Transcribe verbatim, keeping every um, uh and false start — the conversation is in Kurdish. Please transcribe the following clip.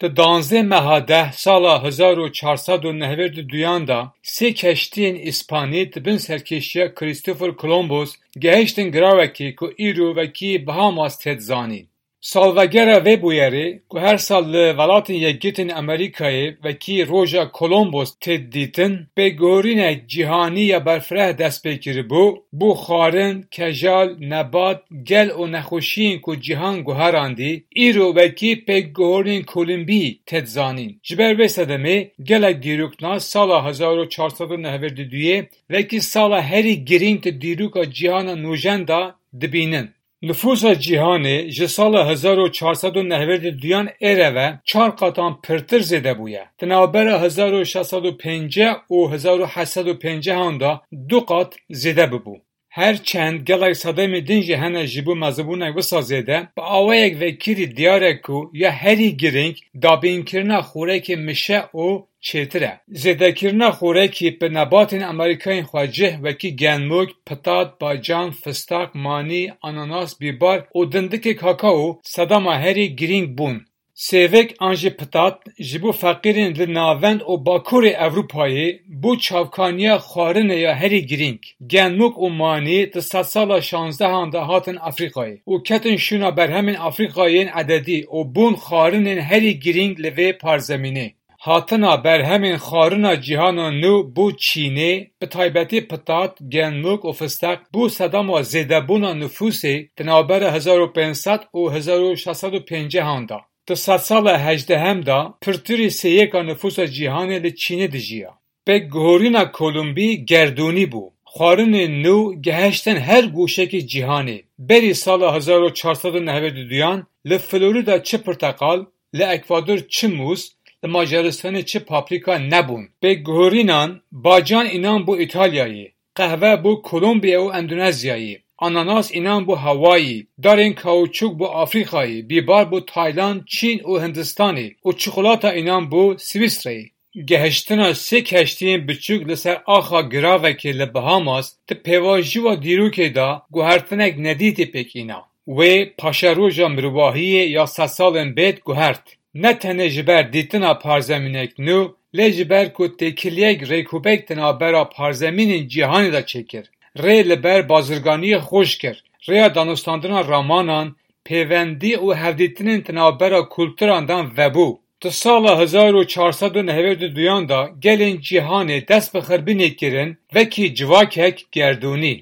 Di danzdeh meha deh sala hezar û çar sed û nehwêd û duyan de sê keştiyên Îspanî di bin serkêşiya Christopher Columbus gehiştin giravekê ku îro wekî Bahamas tê dizanîn. Salvegera vê bûyerê ku her sal li Welatên Yekgirtên Amerîkayê wekî roja Columbus tê dîtin, pêkguhorînek cîhanî ya berfireh dest pê kiribû, bû xwarin, kejal, nebat, gel û nexweşiyên ku cîhan guherandî, îro wekî pêkguhorînên Kolombî tê dizanîn. Ji ber vê sedemê gelek dîroknas sala hezar û çar sed û nehwêd û duyê wekî sala herî girîng di dîroka cîhana nûjen de dibînin. Nifûsa cîhanê ji sala hezar û çar sed û nehwêd û duyan êre ve çar qatan pirtir zêde bûye. Di navbera hezar û şeş sed û pêncî û hezar û heşt sed û pêncî han de du qat zêde bibû. Her çend gelek sedemên din jî hene ji bo mezibûnek wisa zêde, bi awayek vekirî diyar e ku ya herî girîng dabînkirina xorekê mişe û çêtir e. Zêdekirina xorekî bi nebatên Amerîkayên xwecih wekî genmûk, pitat, bacan, fistaq, manî, ananas, bîbar û dindikê kakao sedema herî girîng bûn. Sêvik an jî pitat ji bo feqîrên li navend û bakurê Ewropayê bû çavkaniya xwarinê ya herî girîng. Genmûk û manî di sedsala şanzdehan de hatin Afrîkayê û ketin şûna berhemên Afrîkayê yên ededî û bûn xwarinên herî girîng li vê parzemînê. Hatina berhemên xwarina cîhana nû bo Çînê, bi taybetî pitat, genmûk û fisteq, bo sedema zêdebûna nifûsê di navbera hezar û pênc sed û hezar û şeş sed û pêncî han de. Di sedsala hejdehem de pirtirî sêyeka nifûsa cîhanê li Çînê dijiya. Pêkguhorîna Kolombî gerdûnî bû. Xwarinên nû gehiştin her goşekî cîhanê. Berî sala hezar û çar sed û nehwêd û duyan li Florîda çi pirteqal, li Ekvador çi mûz, li Macaristanê çi paprîka nebûn. Pêkguhorînan, bacan înan bû Îtalyayê, qehve bû Kolombiya û Endonezyayê, ananas înan bû Hawayî, darên kauçuk bû Afrîkayê, bîbar bû Tayland, Çîn û Hindistanê û çikolata înan bû Swîsreyê. Gehiştina sê keştiyên biçûk li ser axa giravekê li Bahamas di pêvajoya dîrokê de guhertinek nedîtî pêk îna. Wê paşeroja mirovahiyê ya sedsalên bêd guhert. Ne tenê ji ber dîtina parzemînek nû, lê ji ber ku têkiliyek rêkûpêk di navbera parzemînên cîhanê de çêkir. Rê li ber bazirganiyê xweş kir. Rêya danûstandina ramanan, pêvendî û hevdîtinên di navbera kulturan de vebû. Di sala hezar û çar sed û nehwêd û duyan de gelên cîhanê dest bi xirbînê kirin, wekî civakek gerdûnî.